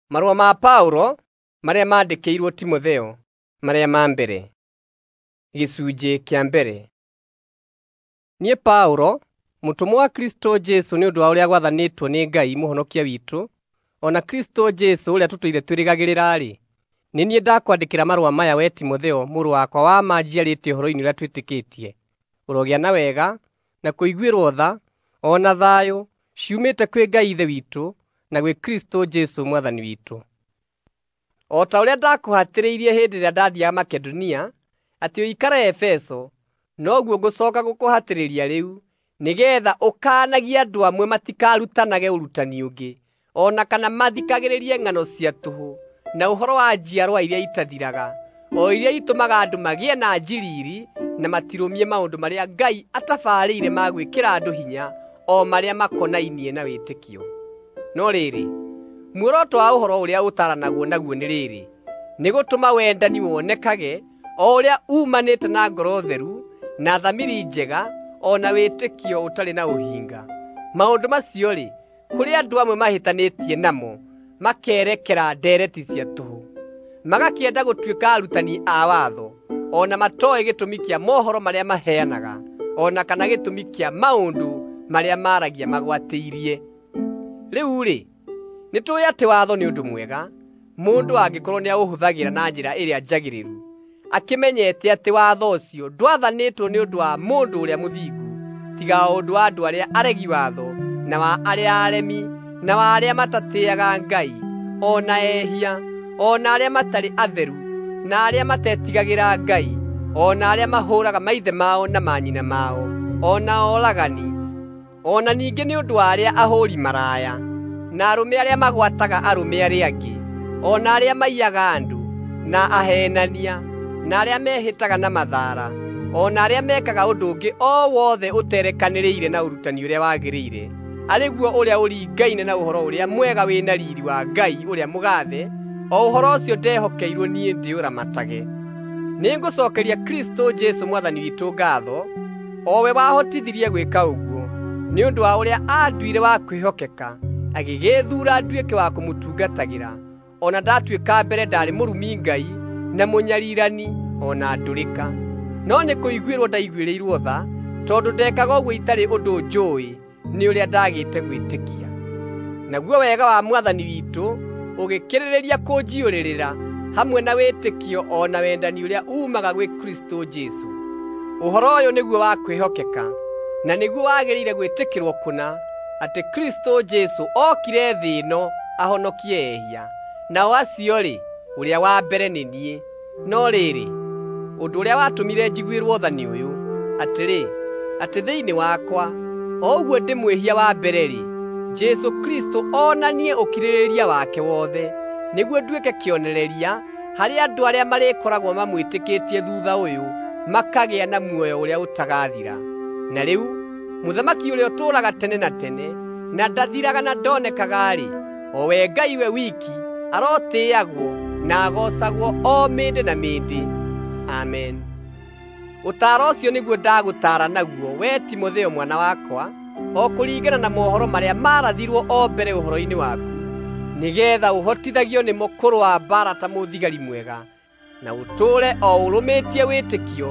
Marũa ma Paũlo marĩa maandĩkĩirwo Timotheo marĩa ma mbere. Gĩcunjĩ kĩa mbere. Niĩ Paũlo, mũtũmwo wa Kristũ Jesũ nĩ ũndũ wa ũrĩa gwathanĩtwo nĩ Ngai Mũhonokia witũ, o na Kristũ Jesũ ũrĩa tũtũire twĩrĩgagĩrĩra-rĩ, nĩ niĩ ndakwandĩkĩra marũa maya wee Timotheo mũrũ wakwa wa ma njiarĩte ũhoro-inĩ ũrĩa twĩtĩkĩtie. Ũrogĩa na wega, na kũiguĩrwo tha, o na thayũ, ciumĩte kwĩ Ngai Ithe witũ na gwĩ Kristũ Jesũ Mwathani witũ. O ta ũrĩa ndakũhatĩrĩirie hĩndĩ ĩrĩa ndathiiaga Makedonia atĩ ũikare Efeso, noguo ngũcooka gũkũhatĩrĩria rĩu, nĩgeetha ũkaanagie andũ amwe matikarutanage ũrutani ũngĩ, o na kana mathikagĩrĩrie ng'ano cia tũhũ na ũhoro wa njiarwa iria itathiraga, o iria itũmaga andũ magĩe na njiriiri na matirũmie maũndũ marĩa Ngai atabarĩire ma gwĩkĩra andũ hinya, o marĩa makonainie na wĩtĩkio. No rĩrĩ, muoroto wa ũhoro ũrĩa ũtaaranagwo naguo nĩ rĩrĩ: nĩ gũtũma wendani wonekage, o ũrĩa uumanĩte na ngoro theru, na thamiri njega, o na wĩtĩkio ũtarĩ na ũhinga. Maũndũ macio-rĩ, kũrĩ andũ amwe mahĩtanĩtie namo, makerekera ndeereti cia tũhũ, magakĩenda gũtuĩka arutani a watho, o na matooĩ gĩtũmi kĩa mohoro marĩa maheanaga, o na kana gĩtũmi kĩa maũndũ marĩa maaragia magwatĩirie. Rĩu-rĩ, nĩtũũĩ atĩ watho nĩ ũndũ mwega, mũndũ angĩkorwo nĩaũhũthagĩra na njĩra ĩrĩa njagĩrĩru, akĩmenyete atĩ watho ũcio ndwathanĩtwo nĩ ũndũ wa mũndũ ũrĩa mũthingu, tiga o ũndũ wa andũ arĩa aregi watho, na wa arĩa aremi, na wa arĩa matatĩĩaga Ngai, o na ehia, o na arĩa matarĩ atheru, na arĩa matetigagĩra Ngai, o na arĩa mahũũraga maithe mao na manyina mao, o na oragani, o na ningĩ nĩ ũndũ wa arĩa ahũũri maraya, na arũme arĩa magwataga arũme arĩa angĩ, o na arĩa maiyaga andũ, na aheenania, na arĩa mehĩtaga na mathaara, o na arĩa mekaga ũndũ ũngĩ o wothe ũterekanĩrĩire na ũrutani ũrĩa wagĩrĩire, arĩ guo ũrĩa ũringaine na ũhoro ũrĩa mwega wĩ na riiri wa Ngai ũrĩa mũgaathe, o ũhoro ũcio ndehokeirwo niĩ ndĩũramatage. Nĩngũcookeria Kristũ Jesũ Mwathani witũ ngaatho, o we wahotithirie gwĩka ũguo, nĩ ũndũ wa ũrĩa aanduire wa kwĩhokeka, agĩgĩĩthuura nduĩke wa kũmũtungatagĩra, o na ndatuĩka mbere ndaarĩ mũrumi Ngai na mũnyarirani o na ndũrĩka. No nĩ kũiguĩrwo ndaiguĩrĩirwo tha, tondũ ndekaga ũguo itarĩ ũndũ njũũĩ nĩ ũrĩa ndaagĩte gwĩtĩkia. Naguo wega wa Mwathani witũ ũgĩkĩrĩrĩria kũnjiyũrĩrĩra hamwe na wĩtĩkio o na wendani ũrĩa uumaga gwĩ Kristũ Jesũ. Ũhoro ũyũ nĩguo wa kwĩhokeka, na nĩguo wagĩrĩire gwĩtĩkĩrwo kũna, atĩ Kristũ Jesũ okire thĩ ĩno ahonokie ehia, nao acio-rĩ, ũrĩa wa mbere nĩ niĩ. No rĩrĩ, ũndũ ũrĩa watũmire njiguĩrwo tha nĩ ũyũ, atĩrĩ, atĩ thĩinĩ wakwa, o ũguo ndĩ mwĩhia wa mbere-rĩ, Jesũ Kristũ onanie ũkirĩrĩria wake wothe, nĩguo nduĩke kĩonereria harĩ andũ arĩa marĩkoragwo mamwĩtĩkĩtie thuutha ũyũ makagĩa na muoyo ũrĩa ũtagathira. Na rĩu Mũthamaki ũrĩa ũtũũraga tene na tene, na ndathiraga na ndonekaga-rĩ, o we Ngai we wiki, arotĩĩagwo na agoocagwo o mĩndĩ na mĩndĩ. Amen. Ũtaaro ũcio nĩguo ndagũtaara naguo wee Timotheo mwana wakwa, o kũringana na mohoro marĩa maarathirwo o mbere ũhoro-inĩ waku, nĩgeetha ũhotithagio nĩmo kũrũa mbaara ta mũthigari mwega, na ũtũũre o ũrũmĩtie wĩtĩkio,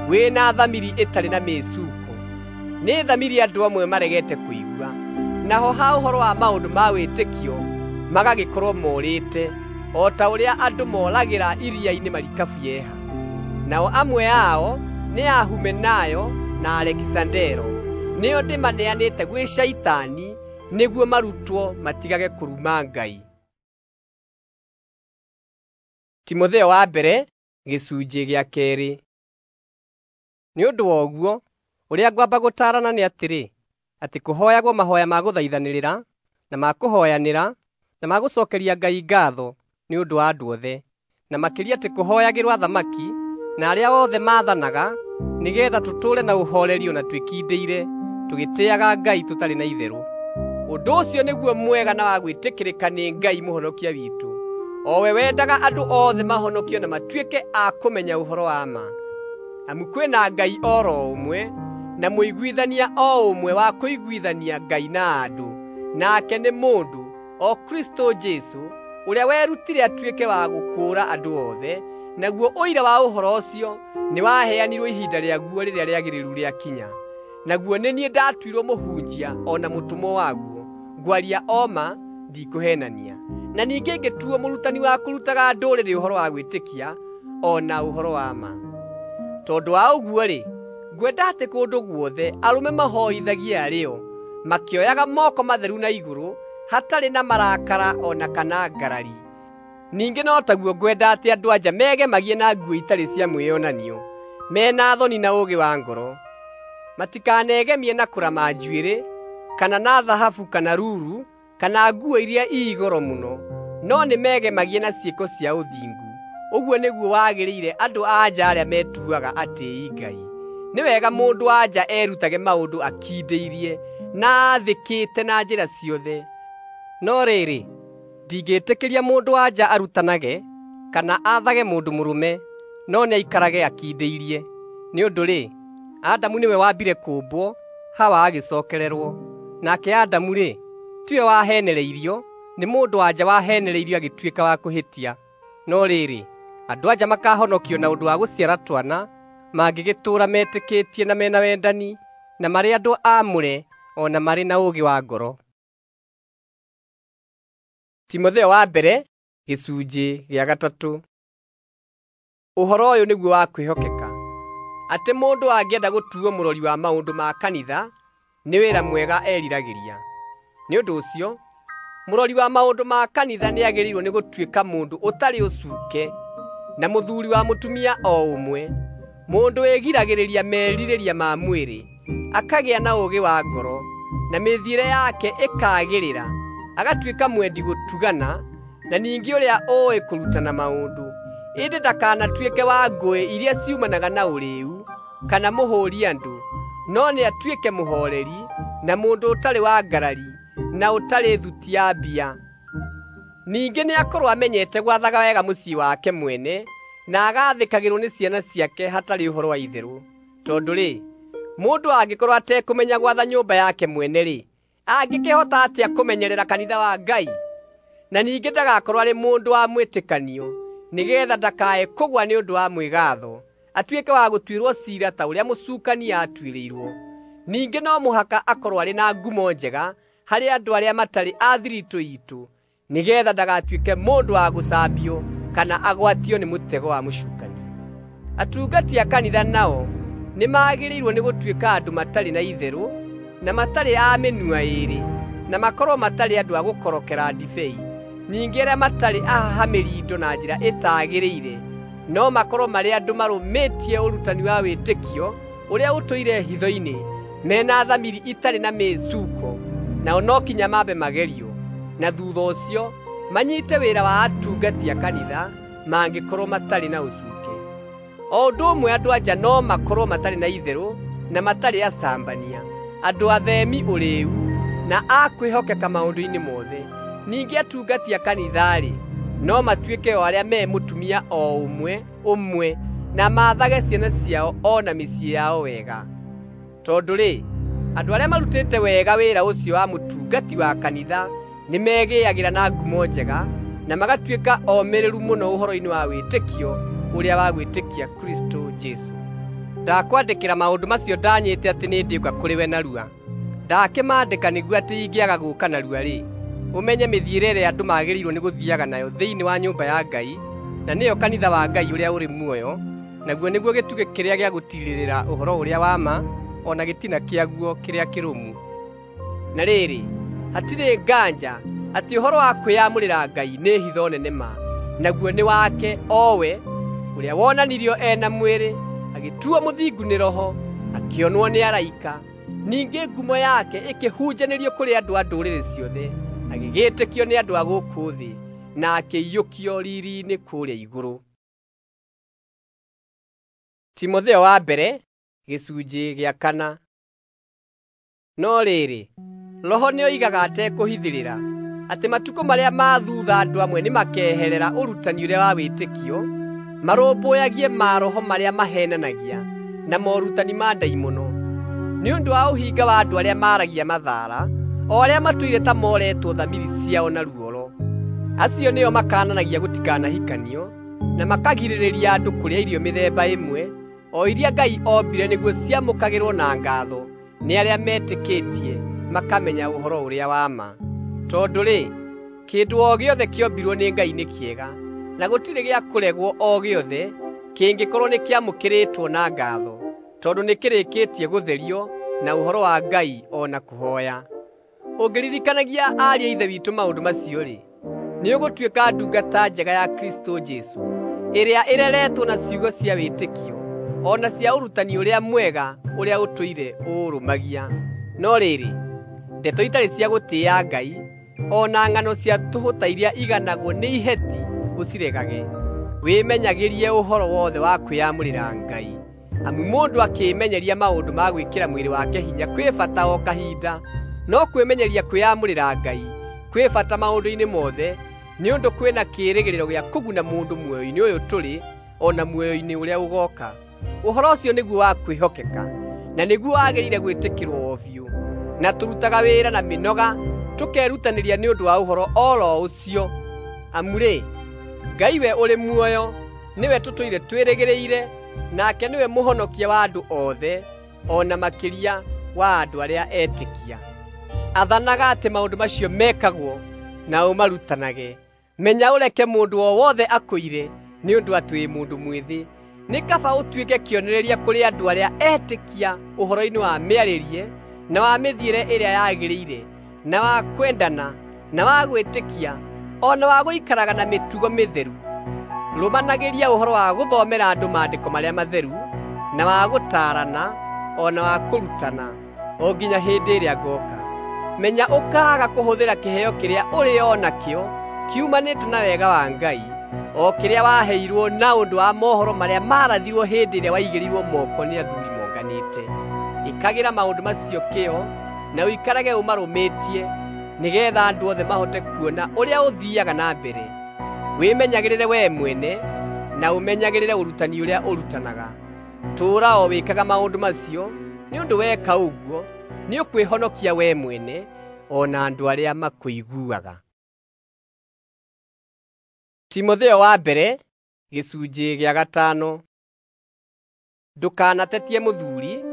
wĩ na thamiri ĩtarĩ na mĩcuuko. Nĩ thamiri andũ amwe maregete kũigua, naho ha ũhoro wa maũndũ ma wĩtĩkio magagĩkorwo morĩte, o ta ũrĩa andũ moragĩra iria-inĩ marikabu yeha. Nao amwe ao nĩ a Humenayo na Alekisandero, nĩo ndĩmaneanĩte gwĩ Shaitani nĩguo marutwo matigage kũruma Ngai. Timotheo wa mbere gĩcunjĩ gĩa keerĩ. Nĩ ũndũ wa ũguo, ũrĩa ngwamba gũtaarana nĩ atĩrĩ, atĩ kũhooyagwo mahooya ma gũthaithanĩrĩra, na ma kũhooyanĩra, na ma gũcookeria Ngai ngaatho nĩ ũndũ wa andũ othe, na makĩria atĩ kũhooyagĩrwo athamaki na arĩa othe maathanaga, nĩgeetha tũtũũre na ũhooreri o na twĩkindĩire, tũgĩtĩĩaga Ngai tũtarĩ na itherũ. Ũndũ ũcio nĩguo mwega na wa gwĩtĩkĩrĩka nĩ Ngai Mũhonokia witũ, o we wendaga andũ othe mahonokio na matuĩke a kũmenya ũhoro wa ma. Amu kwĩ na Ngai o ro ũmwe, na mũiguithania o ũmwe wa kũiguithania Ngai na andũ, nake nĩ mũndũ, o Kristũ Jesũ, ũrĩa werutire atuĩke wa gũkũũra andũ othe, naguo ũira wa ũhoro ũcio nĩwaheanirwo ihinda rĩaguo rĩrĩa rĩagĩrĩru rĩakinya. Naguo nĩ niĩ ndatuirwo mũhunjia o na mũtũmwo waguo, ngwaria o ma, ndikũheenania. Na ningĩ ngĩtuo mũrutani wa kũrutaga ndũrĩrĩ ũhoro wa gwĩtĩkia o na ũhoro wa ma. Tondũ wa ũguo-rĩ, ngwenda atĩ kũndũ guothe arũme mahoithagie arĩ o, makĩoyaga moko matheru na igũrũ, hatarĩ na marakara o na kana ngarari. Ningĩ no taguo ngwenda atĩ andũ-a-nja megemagie na nguo itarĩ cia mwĩonanio, me na thoni na ũũgĩ wa ngoro. Matikanegemie na kũrama njuĩrĩ, kana na thahabu kana ruru, kana nguo iria ii goro mũno, no nĩmegemagie na ciĩko cia ũthingu. Ũguo nĩguo wagĩrĩire andũ-a-nja arĩa metuaga atĩĩi Ngai. Nĩ wega mũndũ-wa-nja erutage maũndũ akindĩirie na aathĩkĩte na njĩra ciothe. No rĩrĩ, ndingĩtĩkĩria mũndũ-wa-nja arutanage kana aathage mũndũ mũrũme, no nĩaikarage akindĩirie. Nĩ ũndũ-rĩ, Adamu nĩwe wambire kũũmbwo, Hawa agĩcookererwo. Nake Adamu-rĩ, tiwe waheenereirio, nĩ mũndũ-wa-nja waheenereirio agĩtuĩka wa kũhĩtia. No rĩrĩ, andũ-a-nja makaahonokio na ũndũ wa gũciara twana, mangĩgĩtũũra metĩkĩtie na mena wendani, na marĩ andũ aamũre o na marĩ na ũũgĩ wa ngoro. Timotheo wa mbere gĩcunjĩ gĩa gatatũ. Ũhoro ũyũ nĩguo wa kwĩhokeka, atĩ mũndũ angĩenda gũtuo mũrori wa maũndũ ma kanitha, nĩ wĩra mwega eriragĩria. Nĩ ũndũ ũcio, mũrori wa maũndũ ma kanitha nĩagĩrĩirwo nĩ gũtuĩka mũndũ ũtarĩ ũcuuke, na mũthuuri wa mũtumia o ũmwe, mũndũ wĩgiragĩrĩria merirĩria ma mwĩrĩ, akagĩa na ũũgĩ wa ngoro, na mĩthiĩre yake ĩkaagĩrĩra, agatuĩka mwendi gũtugana, na ningĩ ũrĩa ũũĩ kũrutana maũndũ. Ĩndĩ ndakanatuĩke wa ngũĩ iria ciumanaga na ũrĩĩu, kana mũhũũri andũ, no nĩatuĩke mũhooreri, na mũndũ ũtarĩ wa ngarari, na ũtarĩ thuti ya mbia. Ningĩ nĩakorwo amenyete gwathaga wega mũciĩ wake mwene, na agaathĩkagĩrwo nĩ ciana ciake hatarĩ ũhoro wa itherũ. Tondũ-rĩ, mũndũ angĩkorwo atekũmenya gwatha nyũmba yake mwene-rĩ, angĩkĩhota atĩa kũmenyerera kanitha wa Ngai? Na ningĩ ndagakorwo arĩ mũndũ wa mwĩtĩkanio, nĩgeetha ndakae kũgũa nĩ ũndũ wa mwĩgaatho, atuĩke wa gũtuĩrwo ciira ta ũrĩa mũcukani aatuĩrĩirwo. Ningĩ no mũhaka akorwo arĩ na ngumo njega harĩ andũ arĩa matarĩ a thiritũ iitũ, nĩgeetha ndagatuĩke mũndũ wa gũcambio kana agwatio nĩ mũtego wa mũcukani. Atungati a kanitha nao nĩmagĩrĩirwo nĩ gũtuĩka andũ matarĩ na itherũ, na matarĩ a mĩnua ĩĩrĩ, na makorwo matarĩ andũ a gũkorokera ndibei, ningĩ arĩa matarĩ ahahamĩri indo na njĩra ĩtagĩrĩire, no makorwo marĩ andũ marũmĩtie ũrutani wa wĩtĩkio ũrĩa ũtũire hitho-inĩ, mena thamiri itarĩ na mĩĩcuko, nao no kinya mambe magerio, na thuutha ũcio manyite wĩra wa atungati a kanitha mangĩkorwo matarĩ na ũcuuke. O ũndũ ũmwe andũ-a-nja no makorwo matarĩ na itherũ na matarĩ acambania, andũ atheemi ũrĩĩu, na a kwĩhokeka maũndũ-inĩ mothe. Ningĩ atungati a kanitha-rĩ, no matuĩke o arĩa me mũtumia o ũmwe ũmwe, na maathage ciana ciao o na mĩciĩ yao wega. Tondũ-rĩ, andũ arĩa marutĩte wega wĩra ũcio wa mũtungati wa kanitha nĩmegĩagĩra na ngumo njega, na magatuĩka omĩrĩru mũno ũhoro-inĩ wa wĩtĩkio ũrĩa wa gwĩtĩkia Kristũ Jesũ. Ndakwandĩkĩra maũndũ macio ndanyĩte atĩ nĩndĩũka kũrĩ we narua. Ndakĩmaandĩka nĩguo atĩ ingĩaga gũũka narua-rĩ, ũmenye mĩthiĩre ĩrĩa andũ magĩrĩirwo nĩ gũthiiaga nayo thĩinĩ wa nyũmba ya Ngai, na nĩyo kanitha wa Ngai ũrĩa ũrĩ muoyo, naguo nĩguo gĩtugĩ kĩrĩa gĩa gũtiirĩrĩra ũhoro ũrĩa wa ma, o na gĩtina kĩaguo kĩrĩa kĩrũmu. Na rĩrĩ, hatirĩ nganja atĩ ũhoro wa kwĩyamũrĩra Ngai nĩ hitho nene ma, naguo nĩ wake o we ũrĩa wonanirio e na mwĩrĩ, agĩtuo mũthingu nĩ Roho, akĩonwo nĩ araika, ningĩ ngumo yake ĩkĩhunjanĩrio kũrĩ andũ a ndũrĩrĩ ciothe, agĩgĩtĩkio nĩ andũ a gũkũ thĩ, na akĩiyũkio riiri-inĩ kũrĩa igũrũ. Timotheo wa mbere gĩcunjĩ gĩa kana. No rĩrĩ, Roho nĩoigaga atekũhithĩrĩra atĩ matukũ marĩa ma thuutha andũ amwe nĩmakeherera ũrutani ũrĩa wa wĩtĩkio, marũmbũyagie maroho marĩa maheenanagia na morutani ma ndaimono, nĩ ũndũ wa ũhinga wa andũ arĩa maaragia mathaara, o arĩa matũire ta moretwo thamiri ciao na ruoro. Acio nĩo makananagia gũtikanahikanio, na makagirĩrĩria andũ kũrĩa irio mĩthemba ĩmwe, o iria Ngai ombire nĩguo ciamũkagĩrwo na ngatho nĩ arĩa metĩkĩtie makamenya ũhoro ũrĩa wa ma. Tondũ-rĩ, kĩndũ o gĩothe kĩombirwo nĩ Ngai nĩ kĩega, na gũtirĩ gĩa kũregwo o gĩothe kĩngĩkorwo nĩkĩamũkĩrĩtwo na ngatho, tondũ nĩkĩrĩkĩtie gũtherio na ũhoro wa Ngai o na kũhooya. Ũngĩririkanagia ariũ a Ithe witũ maũndũ macio-rĩ, nĩũgũtuĩka ndungata njega ya Kristũ Jesũ, ĩrĩa ĩreretwo na ciugo cia wĩtĩkio, o na cia ũrutani ũrĩa mwega ũrĩa ũtũire ũũrũmagia. No rĩrĩ, ndeto itarĩ cia gũtĩĩa Ngai, o na ng'ano cia tũhũ ta iria iganagwo nĩ iheti ũciregage. Wĩmenyagĩrie ũhoro wothe wa kwĩyamũrĩra Ngai, amu mũndũ akĩĩmenyeria maũndũ ma gwĩkĩra mwĩrĩ wake hinya kwĩ bata o kahinda, no kwĩmenyeria kwĩyamũrĩra Ngai kwĩ bata maũndũ-inĩ mothe, nĩ ũndũ kwĩna kĩĩrĩgĩrĩro gĩa kũguna mũndũ muoyo-inĩ ũyũ tũrĩ o na muoyo-inĩ ũrĩa ũgooka. Ũhoro ũcio nĩguo wa kwĩhokeka, na nĩguo wagĩrĩire gwĩtĩkĩrwo o biũ. Na tũrutaga wĩra na mĩnoga tũkerutanĩria nĩ ũndũ wa ũhoro oro ũcio. Amu-rĩ, Ngai we ũrĩ muoyo nĩwe tũtũire twĩrĩgĩrĩire, nake nĩwe mũhonokia wa andũ othe, o na makĩria wa andũ arĩa etĩkia. Athanaga atĩ maũndũ macio mekagwo na ũmarutanage. Menya ũreke mũndũ o wothe akũire nĩ ũndũ atĩ wĩ mũndũ mwĩthĩ. Nĩ kaba ũtuĩke kĩonereria kũrĩ andũ arĩa etĩkia ũhoro-inĩ wa mĩarĩrie na wa mĩthiĩre ĩrĩa yagĩrĩire, na wa kwendana, na wa gwĩtĩkia, o na wa gũikaraga na mĩtugo mĩtheru. Rũmanagĩria ũhoro wa gũthomera andũ maandĩko marĩa matheru, na wa gũtaarana, o na wa kũrutana, o nginya hĩndĩ ĩrĩa ngooka. Menya ũkaaga kũhũthĩra kĩheo kĩrĩa ũrĩ o nakĩo kiumanĩte na wega wa Ngai, o kĩrĩa waheirwo na ũndũ wa mohoro marĩa maarathirwo hĩndĩ ĩrĩa waigĩrĩirwo moko nĩ athuuri monganĩte. Ĩkagĩra maũndũ macio kĩyo na ũikarage ũmarũmĩtie, nĩgeetha andũ othe mahote kuona ũrĩa ũthiiaga na mbere. Wĩmenyagĩrĩre wee mwene na ũmenyagĩrĩre ũrutani ũrĩa ũrutanaga. Tũũra o wĩkaga maũndũ macio, nĩ ũndũ weka ũguo nĩũkwĩhonokia wee mwene o na andũ arĩa makũiguaga. Timotheo wa mbere gĩcunjĩ gĩa gatano. Ndũkanatetie mũthuuri,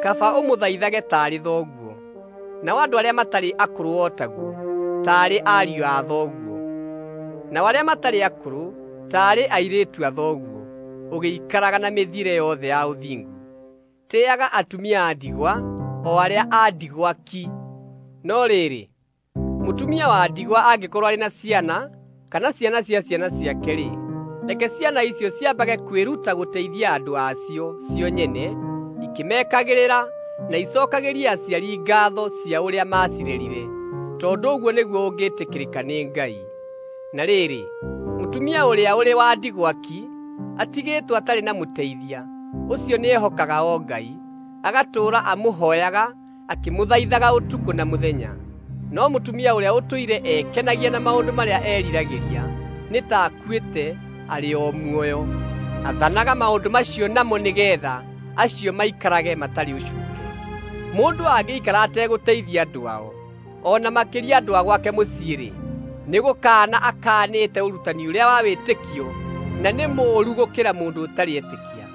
kaba ũmũthaithage taarĩ thoguo, nao andũ arĩa matarĩ akũrũ o taguo, taarĩ ariũ a thoguo, nao arĩa matarĩ akũrũ taarĩ airĩtu a thoguo, ũgĩikaraga na mĩthiĩre yothe ya ũthingu. Tĩĩaga atumia a ndigwa, o arĩa a ndigwa ki. No rĩrĩ, mũtumia wa ndigwa angĩkorwo arĩ na ciana kana ciana cia ciana ciake-rĩ, reke ciana icio ciambage kwĩruta gũteithia andũ acio cio nyene, ikĩmekagĩrĩra na icokagĩrie aciari ngatho cia ũrĩa maacirerire, tondũ ũguo nĩguo ũngĩtĩkĩrĩka nĩ Ngai. Na rĩrĩ, mũtumia ũrĩa ũrĩ wa ndigwa ki, atigĩtwo atarĩ na mũteithia, ũcio nĩehokaga o Ngai, agatũũra amũhooyaga akĩmũthaithaga ũtukũ na mũthenya. No mũtumia ũrĩa ũtũire ekenagia na maũndũ marĩa eriragĩria nĩ ta akuĩte arĩ o muoyo. Athanaga maũndũ macio namo nĩgeetha acio maikarage matarĩ ũcuuke. Mũndũ angĩikara ategũteithia andũ ao, o na makĩria andũ a gwake mũciĩ-rĩ, nĩgũkaana akaanĩte ũrutani ũrĩa wa wĩtĩkio, na nĩ mũũru gũkĩra mũndũ ũtarĩ etĩkia.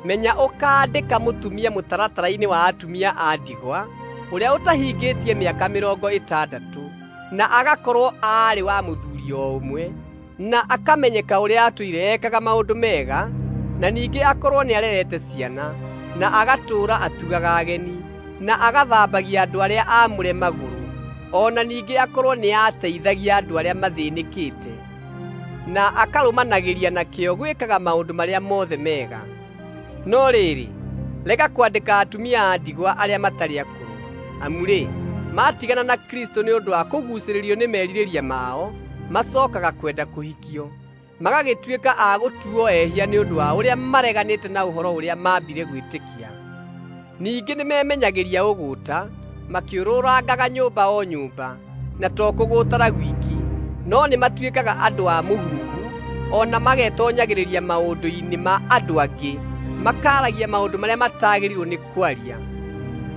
Menya ũkaandĩka mũtumia mũtaratara-inĩ wa atumia a ndigwa, ũrĩa ũtahingĩtie mĩaka mĩrongo ĩtandatũ, na agakorwo aarĩ wa mũthuuri o ũmwe, na akamenyeka ũrĩa atũire ekaga maũndũ mega, na ningĩ akorwo nĩarerete ciana, na agatũũra atugaga ageni, na agathambagia andũ arĩa aamũre magũrũ, o na ningĩ akorwo nĩateithagia andũ arĩa mathĩnĩkĩte, na akarũmanagĩria na kĩyo gwĩkaga maũndũ marĩa mothe mega. No rĩrĩ, rega kwandĩka atumia a ndigwa arĩa matarĩ akũrũ, amu-rĩ, maatigana na Kristũ nĩ ũndũ wa kũguucĩrĩrio nĩ merirĩria mao, macookaga kwenda kũhikio, magagĩtuĩka a gũtuo ehia nĩ ũndũ wa ũrĩa mareganĩte na ũhoro ũrĩa maambire gwĩtĩkia. Ningĩ nĩmemenyagĩria ũgũũta, makĩũrũrangaga nyũmba o nyũmba, na to kũgũũtara gwiki, no nĩmatuĩkaga andũ a mũhuhu, o na magetonyagĩrĩria maũndũ-inĩ ma andũ angĩ, makaaragia maũndũ marĩa matagĩrĩirwo nĩ kwaria.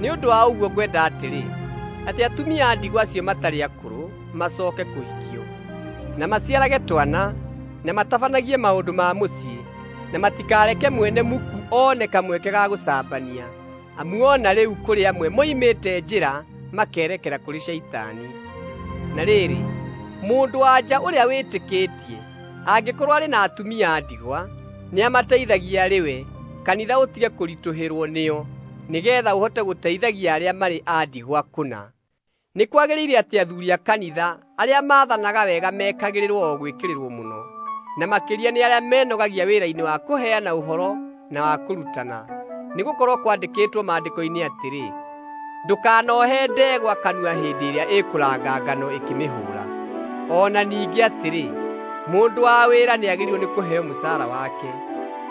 Nĩ ũndũ wa ũguo ngwenda atĩrĩ, atĩ atumia a ndigwa acio matarĩ akũrũ macooke kũhikio, na maciarage twana, na matabanagie maũndũ ma mũciĩ, na matikareke mwene muku one kamweke ga gũcambania, amu o na rĩu kũrĩ amwe moimĩte njĩra makerekera kũrĩ Shaitani. Na rĩrĩ, mũndũ-wa-nja ũrĩa wĩtĩkĩtie angĩkorwo arĩ na atumia a ndigwa, nĩamateithagia arĩ we, kanitha ũtige kũritũhĩrwo nĩo, nĩgeetha ũhote gũteithagia arĩa marĩ a ndigwa kũna. Nĩ kwagĩrĩire atĩ athuuri a kanitha arĩa maathanaga wega mekagĩrĩrwo o gwĩkĩrĩrwo mũno, na makĩria nĩ arĩa menogagia wĩra-inĩ wa kũheana ũhoro na wa kũrutana. Nĩgũkorwo kwandĩkĩtwo Maandĩko-inĩ atĩrĩ, “Ndũkanohe ndegwa kanua hĩndĩ ĩrĩa ĩkũranga ngano ĩkĩmĩhũũra.” O na ningĩ atĩrĩ, “Mũndũ wa wĩra nĩagĩrĩirwo nĩ kũheo mũcaara wake.”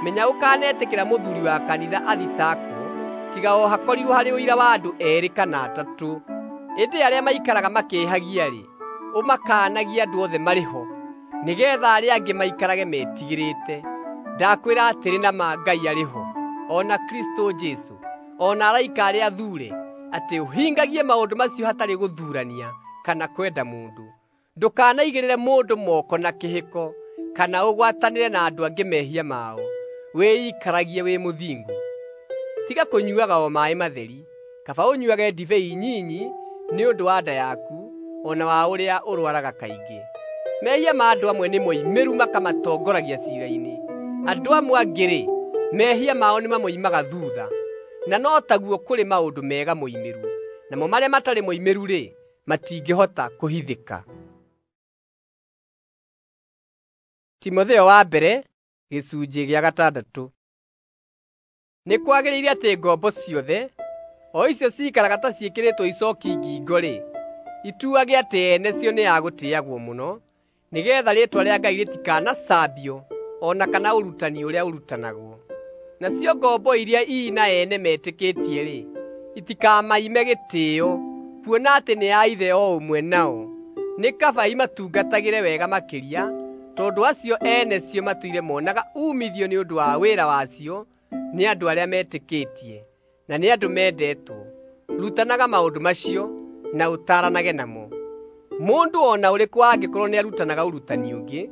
Menya ũkanetĩkĩra mũthuuri wa kanitha athitangwo, tiga o hakorirwo harĩ ũira wa andũ eerĩ kana atatũ. Ĩndĩ arĩa maikaraga makĩĩhagia-rĩ, ũmakaanagie andũ othe marĩ ho, nĩgeetha arĩa angĩ maikarage metigĩrĩte. Ndakwĩra atĩrĩ na ma Ngai arĩ ho, o na Kristũ Jesũ, o na araika arĩa athuure, atĩ ũhingagie maũndũ macio hatarĩ gũthuurania kana kwenda mũndũ. Ndũkanaigĩrĩre mũndũ moko na kĩhĩko, kana ũgwatanĩre na andũ angĩ mehia mao. Wĩikaragie wĩ mũthingu. Tiga kũnyuuaga o maaĩ matheri, kaba ũnyuuage ndibei nyinyi nĩ ũndũ wa nda yaku, o na wa ũrĩa ũrwaraga kaingĩ. Mehia ma andũ amwe nĩ moimĩru makamatongoragia ciira-inĩ. Andũ amwe angĩ-rĩ, mehia mao nĩmamoimaga thuutha. Na no taguo kũrĩ maũndũ mega moimĩru, namo marĩa matarĩ moimĩru-rĩ, matingĩhota kũhithĩka. Timotheo wa mbere gĩcunjĩ gĩa gatandatũ. Nĩ kwagĩrĩire atĩ ngombo ciothe, o icio ciikaraga ta ciĩkĩrĩtwo icooki ngingo-rĩ, ituage atĩ ene cio nĩ a gũtĩĩagwo mũno, nĩgeetha rĩĩtwa rĩa Ngai rĩtikanacambio o na kana ũrutani ũrĩa ũrutanagwo. Nacio ngombo iria ii na ene metĩkĩtie-rĩ, itikamaime gĩtĩĩo, kuona atĩ nĩ a ithe o ũmwe nao. Nĩ kaba imatungatagĩre wega makĩria, tondũ acio ene cio matũire monaga uumithio nĩ ũndũ wa wĩra wacio nĩ andũ arĩa metĩkĩtie, na nĩ andũ mendetwo. Rutanaga maũndũ macio na ũtaaranage namo. Mũndũ o na ũrĩkũ angĩkorwo nĩarutanaga ũrutani ũngĩ,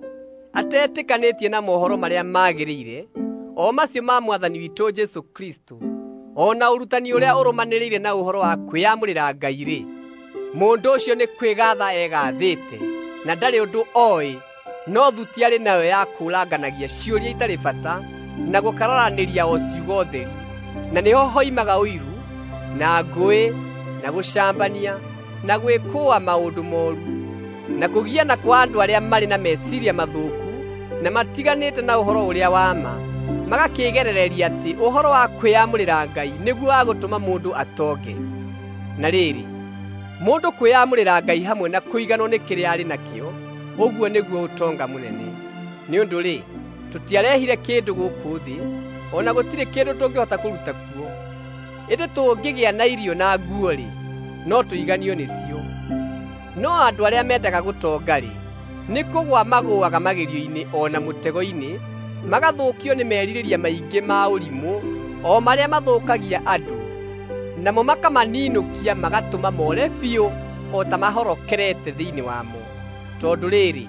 atetĩkanĩtie na mohoro marĩa magĩrĩire, o macio ma Mwathani witũ Jesũ Kristũ, o na ũrutani ũrĩa ũrũmanĩrĩire na ũhoro wa kwĩyamũrĩra Ngai-rĩ, mũndũ ũcio nĩ kwĩgaatha egathĩte, na ndarĩ ũndũ oĩ, no thuti arĩ nayo ya kũũranganagia ciũria itarĩ bata na gũkararanĩria o ciugo theri. Na nĩho hoimaga ũiru, na ngũĩ, na gũcambania, na gwĩkũũa maũndũ mooru, na kũgiana kwa andũ arĩa marĩ na meciiria mathũku na matiganĩte na ũhoro ũrĩa wa ma, magakĩĩgerereria atĩ ũhoro wa kwĩyamũrĩra Ngai nĩguo wa gũtũma mũndũ atonge. Na rĩrĩ, mũndũ kwĩyamũrĩra Ngai hamwe na kũiganwo nĩ kĩrĩa arĩ nakĩo, ũguo nĩguo ũtonga mũnene. Nĩ ũndũ-rĩ, tũtiarehire kĩndũ gũkũ thĩ, o na gũtirĩ kĩndũ tũngĩhota kũruta kuo. Ĩndĩ tũngĩgĩa na irio na nguo-rĩ, no tũiganio nĩcio. No andũ arĩa mendaga gũtonga-rĩ, nĩ kũgũa magũaga magerio-inĩ o na mũtego-inĩ, magathũkio nĩ merirĩria maingĩ ma ũrimũ, o marĩa mathũkagia andũ, namo makamaninũkia magatũma more biũ o ta mahorokerete thĩinĩ wamo. Tondũ rĩrĩ,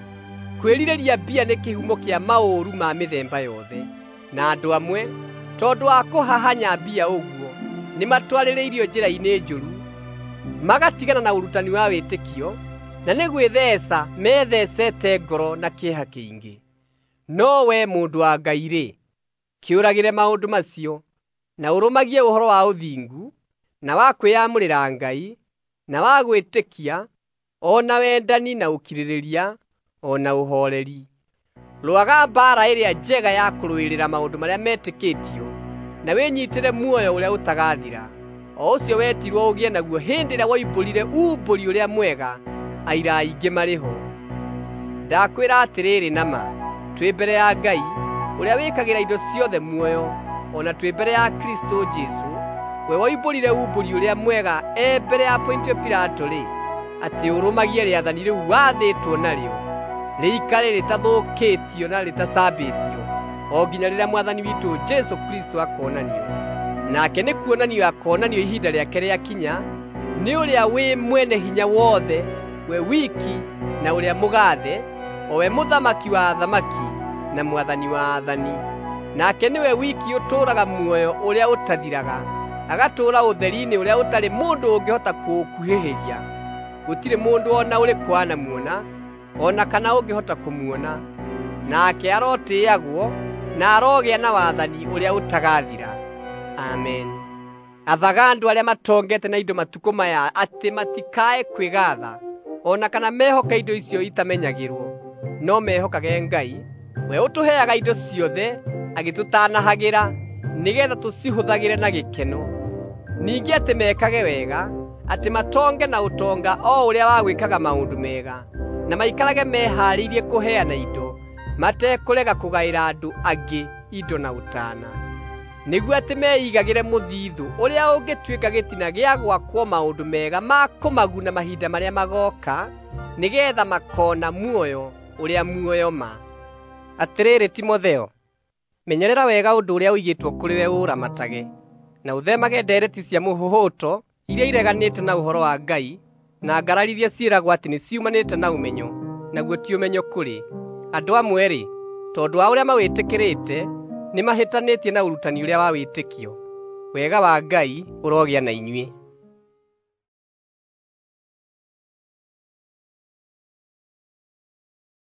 kwĩrirĩria mbia nĩ kĩhumo kĩa maũru ma mĩthemba yothe, na andũ amwe, tondũ wa kũhahanya mbia ũguo, nĩmatwarĩrĩirio njĩra-inĩ njũru, magatigana na ũrutani wa wĩtĩkio, na nĩ gwĩtheeca methecete ngoro na kĩeha kĩingĩ. No we mũndũ wa Ngai-rĩ, kĩũragĩre maũndũ macio, na ũrũmagie ũhoro wa ũthingu, na wa kwĩyamũrĩra Ngai, na wa gwĩtĩkia, o na wendani na ũkirĩrĩria, o na ũhooreri. Rũaga mbaara ĩrĩa njega ya kũrũĩrĩra maũndũ marĩa metĩkĩtio, na wĩnyiitĩre muoyo ũrĩa ũtagathira, o ũcio wetirwo ũgĩe naguo hĩndĩ ĩrĩa woimbũrire uumbũri ũrĩa mwega aira aingĩ marĩ ho. Ndakwĩra atĩrĩrĩ na ma, twĩ mbere ya Ngai, ũrĩa wĩkagĩra indo ciothe muoyo, o na twĩ mbere ya Kristũ Jesũ, we woimbũrire uumbũri ũrĩa mwega e mbere ya Pontio Pilato-rĩ, atĩ ũrũmagie rĩathani rĩu wathĩtwo narĩo, rĩikare rĩtathũkĩtio na rĩtacambĩtio, o nginya rĩrĩa Mwathani witũ Jesũ Kristũ akoonanio. Nake nĩ kuonanio akoonanio ihinda rĩake rĩakinya, nĩ ũrĩa wĩ mwene hinya wothe, we wiki na ũrĩa mũgaathe, o we Mũthamaki wa athamaki na Mwathani wa athani. Nake nĩwe wiki ũtũũraga muoyo ũrĩa ũtathiraga, agatũũra ũtheri-inĩ ũrĩa ũtarĩ mũndũ ũngĩhota kũũkuhĩhĩria. Gũtirĩ mũndũ o na ũrĩkũ anamuona, o na kana ũngĩhota kũmuona. Nake arotĩĩagwo na arogĩa na wathani ũrĩa ũtagathira. Amen. Athaga andũ arĩa matongete na indo matukũ maya atĩ matikae kwĩgaatha, o na kana mehoke indo icio itamenyagĩrwo, no mehokage Ngai, we ũtũheaga indo ciothe agĩtũtanahagĩra, nĩgeetha tũcihũthagĩre na gĩkeno. Ningĩ atĩ mekage wega, atĩ matonge na ũtonga o ũrĩa wa gwĩkaga maũndũ mega, na maikarage mehaarĩirie kũheana indo, matekũrega kũgaĩra andũ angĩ indo na ũtaana, nĩguo atĩ meigagĩre mũthithũ ũrĩa ũngĩtuĩka gĩtina gĩa gwakwo maũndũ mega ma kũmaguna mahinda marĩa magooka, nĩgeetha makoona muoyo ũrĩa muoyo ma. Atĩrĩrĩ Timotheo, menyerera wega ũndũ ũrĩa ũigĩtwo kũrĩ we ũũramatage, na ũthemage ndeereti cia mũhũhũto iria ireganĩte na ũhoro wa Ngai, na ngarari iria ciĩragwo atĩ nĩciumanĩte na ũmenyo, naguo ti ũmenyo kũrĩ. Andũ amwe-rĩ, tondũ wa ũrĩa mawĩtĩkĩrĩte, nĩmahĩtanĩtie na ũrutani ũrĩa wa wĩtĩkio. Wega wa Ngai ũrogĩa na inyuĩ.